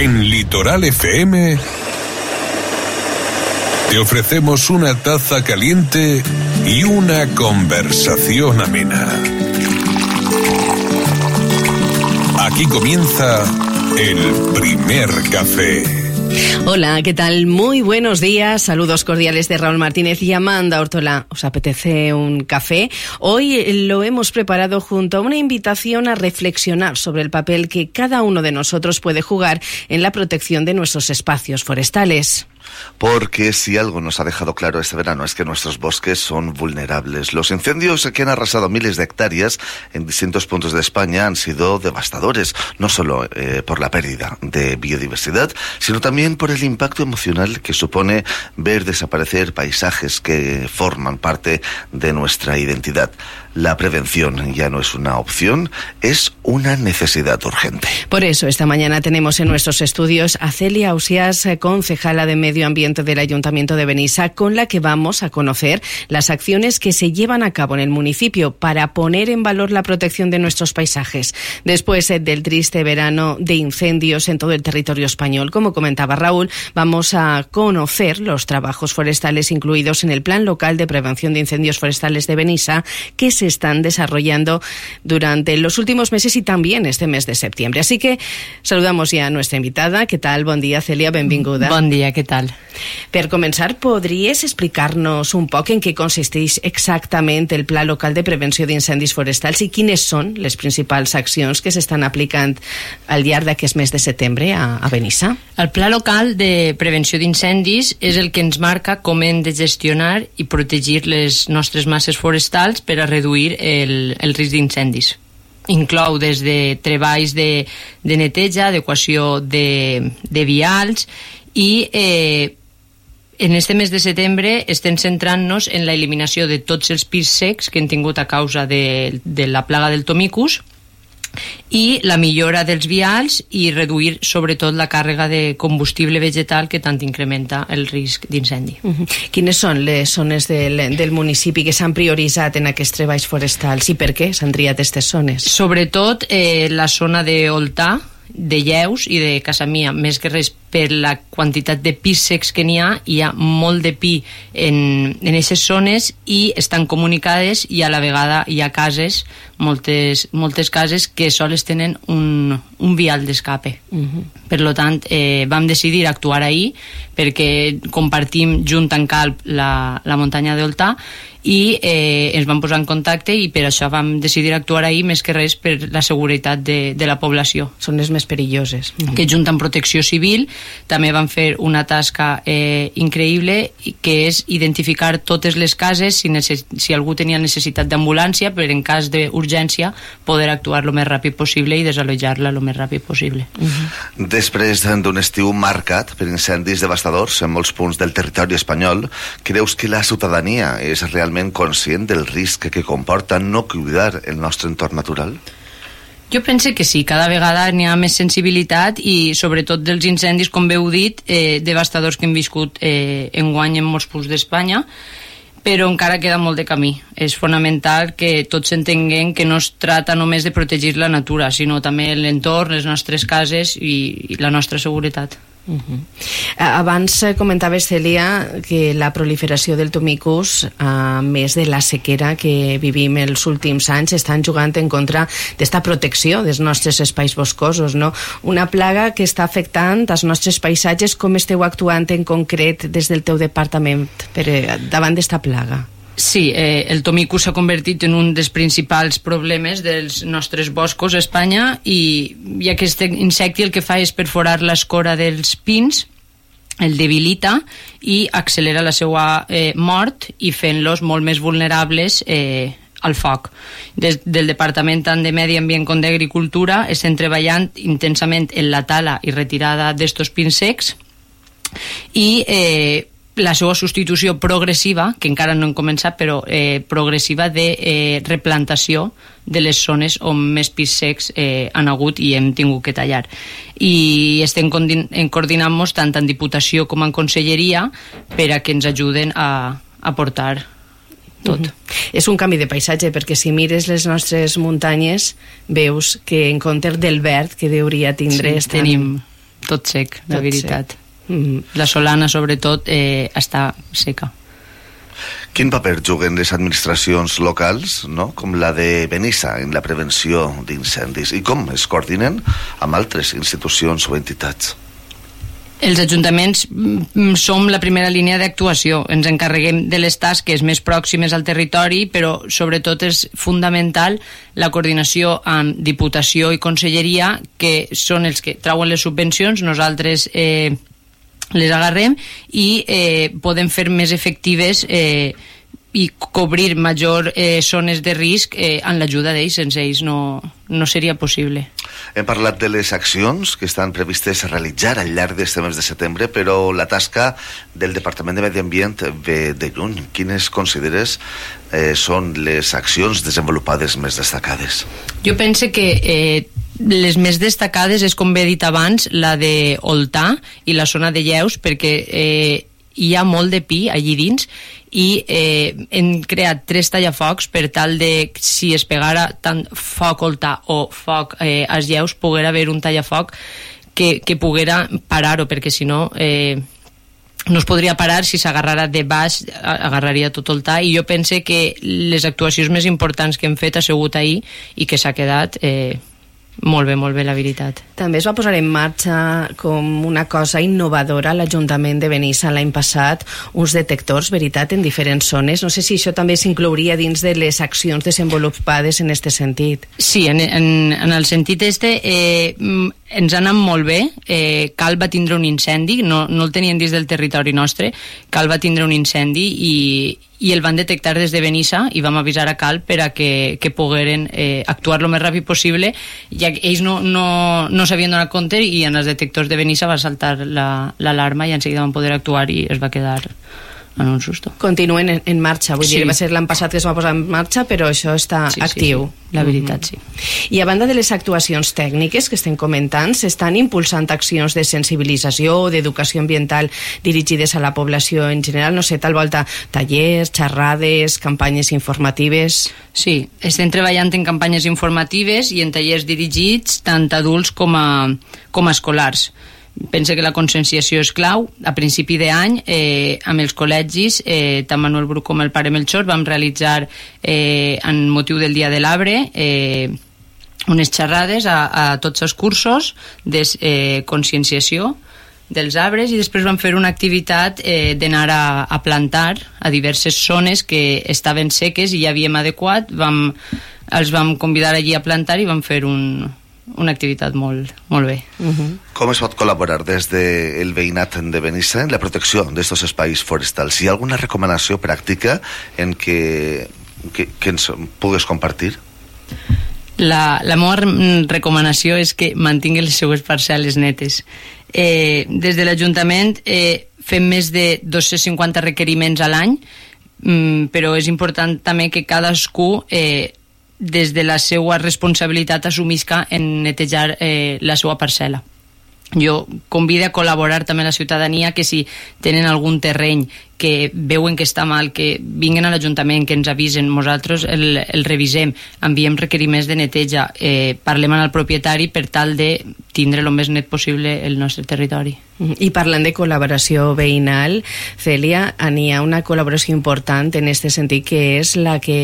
En Litoral FM te ofrecemos una taza caliente y una conversación amena. Aquí comienza el primer café. Hola, ¿qué tal? Muy buenos días, saludos cordiales de Raúl Martínez y Amanda Ortola. ¿Os apetece un café? Hoy lo hemos preparado junto a una invitación a reflexionar sobre el papel que cada uno de nosotros puede jugar en la protección de nuestros espacios forestales. Porque si algo nos ha dejado claro este verano es que nuestros bosques son vulnerables. Los incendios que han arrasado miles de hectáreas en distintos puntos de España han sido devastadores, no solo por la pérdida de biodiversidad, sino también por el impacto emocional que supone ver desaparecer paisajes que forman parte de nuestra identidad. La prevención ya no es una opción, es una necesidad urgente. Por eso, esta mañana tenemos en nuestros estudios a Celia Ausías, concejala de Medio Ambiente del Ayuntamiento de Benissa, con la que vamos a conocer las acciones que se llevan a cabo en el municipio para poner en valor la protección de nuestros paisajes. Después del triste verano de incendios en todo el territorio español, como comentaba Raúl, vamos a conocer los trabajos forestales incluidos en el Plan Local de Prevención de Incendios Forestales de Benissa, que se están desarrollando durante los últimos meses y también este mes de septiembre. Así que saludamos ya a nuestra invitada. ¿Qué tal? Bon dia, Celia, benvinguda. Bon dia, què tal? Per començar, podries explicar-nos un poc en què consisteix exactament el Pla Local de Prevenció d'Incendis Forestals i quines són les principals accions que s'estan aplicant al llarg d'aquest mes de setembre a Benissa? El Pla Local de Prevenció d'Incendis és el que ens marca com hem de gestionar i protegir les nostres masses forestals per a reduir el risc d'incendis. Inclou des de treballs de neteja, adequació de vials i en este mes de setembre estem centrant-nos en la eliminació de tots els pins secs que hem tingut a causa de la plaga del tomicus i la millora dels vials i reduir sobretot la càrrega de combustible vegetal que tant incrementa el risc d'incendi. Quines són les zones del municipi que s'han prioritzat en aquests treballs forestals i per què s'han triat aquestes zones? Sobretot la zona d'Oltà, de Lleus i de Casamia, més que res per la quantitat de pins secs que n'hi ha molt de pi en aquestes zones i estan comunicades i a la vegada hi ha cases, moltes cases que sols tenen un vial d'escape. Per tant, vam decidir actuar ahir perquè compartim junt en Calp la muntanya d'Oltà i ens vam posar en contacte i per això vam decidir actuar ahir més que res per la seguretat de la població. Són les més perilloses. Que junt amb Protecció Civil també van fer una tasca increïble que és identificar totes les cases si algú tenia necessitat d'ambulància per en cas d'urgència poder actuar el més ràpid possible i desallotjar-la el més ràpid possible. Després d'un estiu marcat per incendis devastadors en molts punts del territori espanyol, creus que la ciutadania és realment conscient del risc que comporta no cuidar el nostre entorn natural? Jo penso que sí, cada vegada n'hi ha més sensibilitat i sobretot dels incendis, com bé heu dit, devastadors que hem viscut enguany en molts punts d'Espanya, però encara queda molt de camí. És fonamental que tots entenguem que no es tracta només de protegir la natura, sinó també l'entorn, les nostres cases i la nostra seguretat. Abans comentaves, Celia, que la proliferació del tomicus, a més de la sequera que vivim els últims anys, estan jugant en contra d'esta protecció dels nostres espais boscosos, no? Una plaga que està afectant els nostres paisatges. Com esteu actuant en concret des del teu departament davant d'esta plaga? Sí, el tomicus s'ha convertit en un dels principals problemes dels nostres boscos a Espanya i aquest insecte el que fa és perforar l'escora dels pins, el debilita i accelera la seva mort i fent-los molt més vulnerables al foc. Des del Departament tant de Medi Ambient com d'Agricultura estem treballant intensament en la tala i retirada d'estos pins secs i la seva substitució progressiva, que encara no hem començat, però progressiva de replantació de les zones on més pins secs han hagut i hem tingut que tallar. I estem coordinant-nos tant en Diputació com en Conselleria per a que ens ajuden a portar tot. És un canvi de paisatge, perquè si mires les nostres muntanyes veus que en comptes del verd que hauria tindre tenim tot sec, la veritat. La Solana, sobretot, està seca. Quin paper juguen les administracions locals, no?, com la de Benissa, en la prevenció d'incendis, i com es coordinen amb altres institucions o entitats? Els ajuntaments som la primera línia d'actuació. Ens encarreguem de les tasques més pròximes al territori, però sobretot és fundamental la coordinació amb Diputació i Conselleria, que són els que trauen les subvencions. Nosaltres les agarrem i podem fer més efectives i cobrir major zones de risc amb l'ajuda d'ells. Sense ells no seria possible. Hem parlat de les accions que estan previstes a realitzar al llarg d'aquest mes de setembre, però la tasca del Departament de Medi Ambient ve de lluny. Quines consideres són les accions desenvolupades més destacades? Jo pense que les més destacades és, com he dit abans, la de Oltà i la zona de Lleus, perquè hi ha molt de pi allí dins, i hem creat 3 tallafocs per tal de, si es pegara tant foc Oltà o foc als Lleus, poguera haver un tallafoc que poguera parar-ho, perquè si no no es podria parar. Si s'agarrara de baix agarraria tot Oltà, i jo pense que les actuacions més importants que hem fet ha sigut ahir i que s'ha quedat molt bé, la veritat. També es va posar en marxa com una cosa innovadora l'Ajuntament de Benissa l'any passat, uns detectors, veritat, en diferents zones. No sé si això també s'inclouria dins de les accions desenvolupades en aquest sentit. Sí, en el sentit ens ha anat molt bé. Cal va tindre un incendi, no el tenien dins del territori nostre. Cal va tindre un incendi i el van detectar des de Benissa, i vam avisar a Cal per a que pogueren actuar el més ràpid possible, ja que ells no s'havien donat compte, i en els detectors de Benissa va saltar l'alarma i enseguida van poder actuar i es va quedar en un susto. Continuen en marxa, vull dir, va ser l'any passat que es va posar en marxa, però això està actiu. Sí, la veritat, sí. I a banda de les actuacions tècniques que estem comentant, s'estan impulsant accions de sensibilització o d'educació ambiental dirigides a la població en general, no sé, tal volta tallers, xerrades, campanyes informatives... Sí, estem treballant en campanyes informatives i en tallers dirigits tant a adults com a escolars. Pense que la conscienciació és clau. A principi d'any, amb els col·legis, tant Manuel Bruc com el pare Melchor, vam realitzar, en motiu del Dia de l'Arbre, unes xerrades a tots els cursos de conscienciació dels arbres, i després vam fer una activitat d'anar a plantar a diverses zones que estaven seques i ja havíem adequat. Els vam convidar allí a plantar i vam fer una activitat molt bé. Com es pot col·laborar des del veïnat de Benissa en la protecció d'aquests espais forestals? Hi ha alguna recomanació pràctica en que ens pugues compartir? La meva recomanació és que mantingui les seues parcel·les netes. Des de l'Ajuntament fem més de 250 requeriments a l'any, però és important també que cadascú des de la seva responsabilitat assumisca en netejar la seva parcel·la. Jo convido a col·laborar també a la ciutadania, que si tenen algun terreny que veuen que està mal, que vinguen a l'Ajuntament, que ens avisen, nosaltres el revisem, enviem requeriments de neteja, parlem amb el propietari per tal de tindre el més net possible el nostre territori. I parlant de col·laboració veïnal, Cèlia, n'hi ha una col·laboració important en aquest sentit, que és la que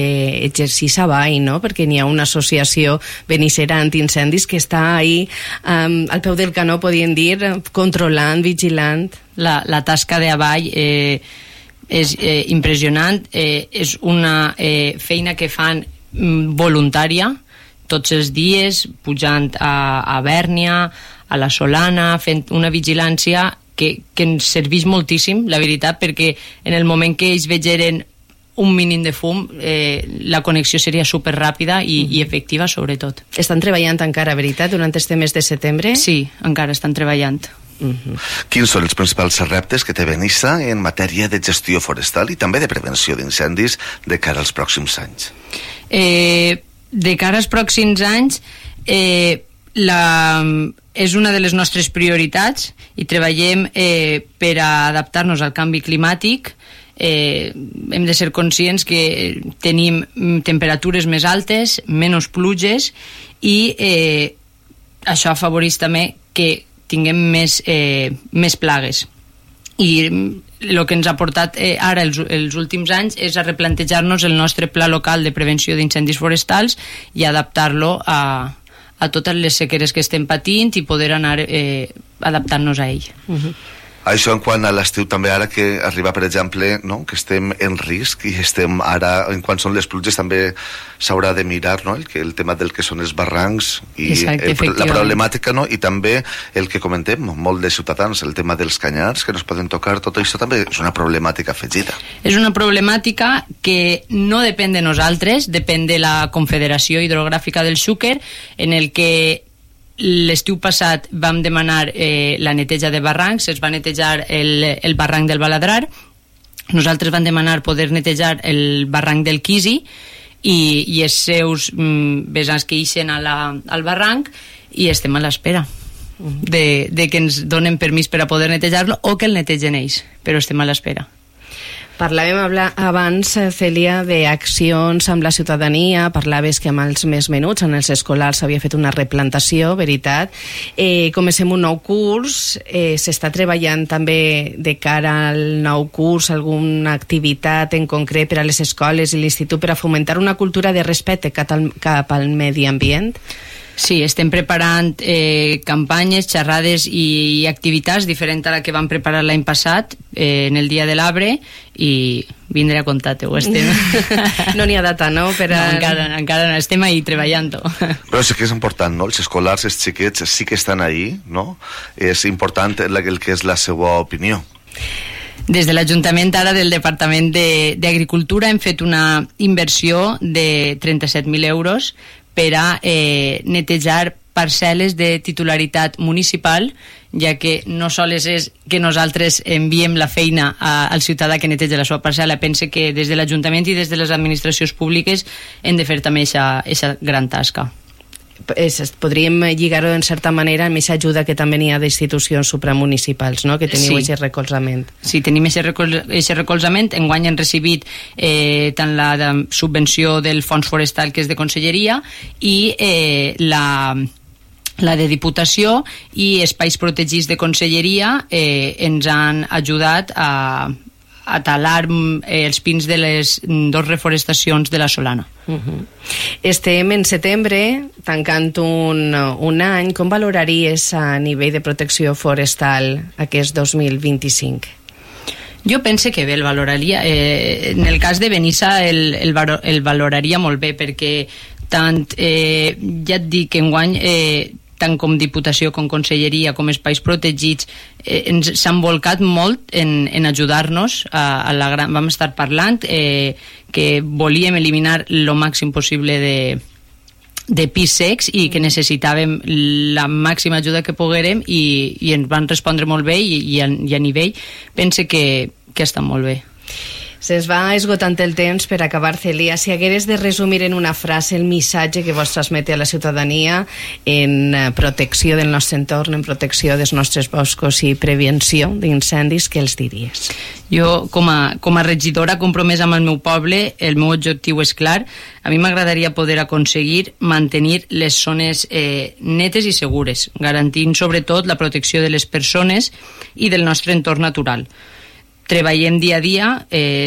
exercís a Vall, no? Perquè n'hi ha una associació benissera antiincendis que està ahí al peu del canó, podríem dir, controlant, vigilant. La tasca de Avall és impressionant, és una feina que fan voluntària tots els dies, pujant a Bèrnia, a la Solana, fent una vigilància que ens serveix moltíssim, la veritat, perquè en el moment que ells vegeren un mínim de fum, la connexió seria superràpida i efectiva, sobretot. Estan treballant encara, veritat, durant este mes de setembre? Sí, encara estan treballant. Quins són els principals reptes que té Benissa en matèria de gestió forestal i també de prevenció d'incendis de cara als pròxims anys? De cara als pròxims anys, és una de les nostres prioritats i treballem per a adaptar-nos al canvi climàtic. Hem de ser conscients que tenim temperatures més altes, menys pluges, i això afavoreix també que tinguem més plagues. I el que ens ha portat ara els últims anys és a replantejar-nos el nostre pla local de prevenció d'incendis forestals i adaptar-lo a totes les sequeres que estem patint i poder anar adaptant-nos a ell. Això en quant a l'estiu també, ara que arriba, per exemple, no? Que estem en risc i estem ara, en quan són les pluges també s'haurà de mirar, no? El tema del que són els barrancs i la problemàtica, no? I també el que comentem, molt de ciutadans, el tema dels canyars que no es poden tocar, tot això també és una problemàtica afegida. És una problemàtica que no depèn de nosaltres, depèn de la Confederació Hidrogràfica del Xúquer, en el que l'estiu passat vam demanar la neteja de barrancs, es va netejar el barranc del Baladrar, nosaltres vam demanar poder netejar el barranc del Quisi i els seus vessants que ixen al barranc, i estem a l'espera de que ens donen permís per a poder netejar-lo o que el netegen ells, però estem a l'espera. Parlàvem abans, Cèlia, d'accions amb la ciutadania, parlaves que amb els més menuts, en els escolars s'havia fet una replantació, veritat. Comencem un nou curs, s'està treballant també de cara al nou curs alguna activitat en concret per a les escoles i l'institut per a fomentar una cultura de respecte cap al medi ambient? Sí, estem preparant campanyes, xerrades i activitats diferents a la que vam preparar l'any passat en el Dia de l'Arbre, i vindré a contar-te-ho. No n'hi ha data, no? No, encara no, estem ahí treballant-ho. Però sí que és important, no? Els escolars, els xiquets sí que estan ahí, no? És important el que és la seva opinió. Des de l'Ajuntament ara del Departament d'Agricultura hem fet una inversió de 37.000 euros per a netejar parcel·les de titularitat municipal, ja que no sols és que nosaltres enviem la feina al ciutadà que neteja la seva parcel·la, pense que des de l'Ajuntament i des de les administracions públiques hem de fer també aquesta gran tasca. Podríem lligar-ho en certa manera amb aquesta ajuda que també n'hi ha d'institucions supramunicipals, no? Que teniu aquest recolzament. Sí, tenim aquest recolzament. Enguany hem recibit tant la subvenció del Fons Forestal, que és de Conselleria, i la de Diputació, i Espais Protegits de Conselleria ens han ajudat a talar els pins de les 2 reforestacions de la Solana. Estem en setembre, tancant un any. Com valoraries a nivell de protecció forestal aquest 2025? Jo pense que bé, el valoraria. En el cas de Benissa el valoraria molt bé, perquè tant, ja et dic, enguany tant com Diputació, com Conselleria, com Espais Protegits, s'han volcat molt en ajudar-nos. Vam estar parlant que volíem eliminar el màxim possible de pis secs i que necessitàvem la màxima ajuda que poguérem, i ens van respondre molt bé, i a nivell pense que està molt bé. Se'ns va esgotant el temps. Per acabar, Cèlia, si hagueres de resumir en una frase el missatge que vos transmete a la ciutadania en protecció del nostre entorn, en protecció dels nostres boscos i prevenció d'incendis, què els diries? Jo, com a regidora compromesa amb el meu poble, el meu objectiu és clar. A mi m'agradaria poder aconseguir mantenir les zones netes i segures, garantint sobretot la protecció de les persones i del nostre entorn natural. Treballem dia a dia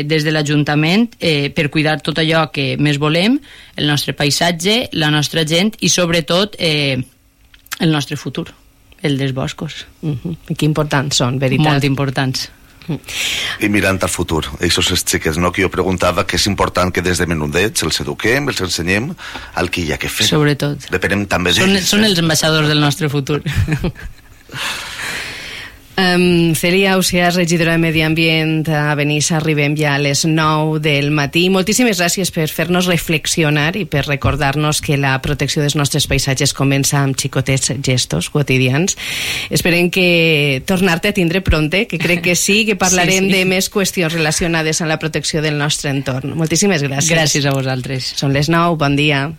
des de l'Ajuntament per cuidar tot allò que més volem, el nostre paisatge, la nostra gent i sobretot el nostre futur, el dels boscos. Que importants són, veritat? Molt importants. I mirant al futur, aquests xiquets, no? Que jo preguntava que és important que des de menudets els eduquem, els ensenyem el que hi ha que fer. Sobretot. Depenem també d'ells. Són els ambaixadors del nostre futur. Cèlia Ausiàs, regidora de Medi Ambient a Benissa, arribem ja a les 9 del matí. Moltíssimes gràcies per fer-nos reflexionar i per recordar-nos que la protecció dels nostres paisatges comença amb xicotets gestos quotidians. Esperem que tornar-te a tindre pronte, que crec que sí, que parlarem de més qüestions relacionades amb la protecció del nostre entorn. Moltíssimes gràcies. Gràcies a vosaltres. Són les 9, bon dia.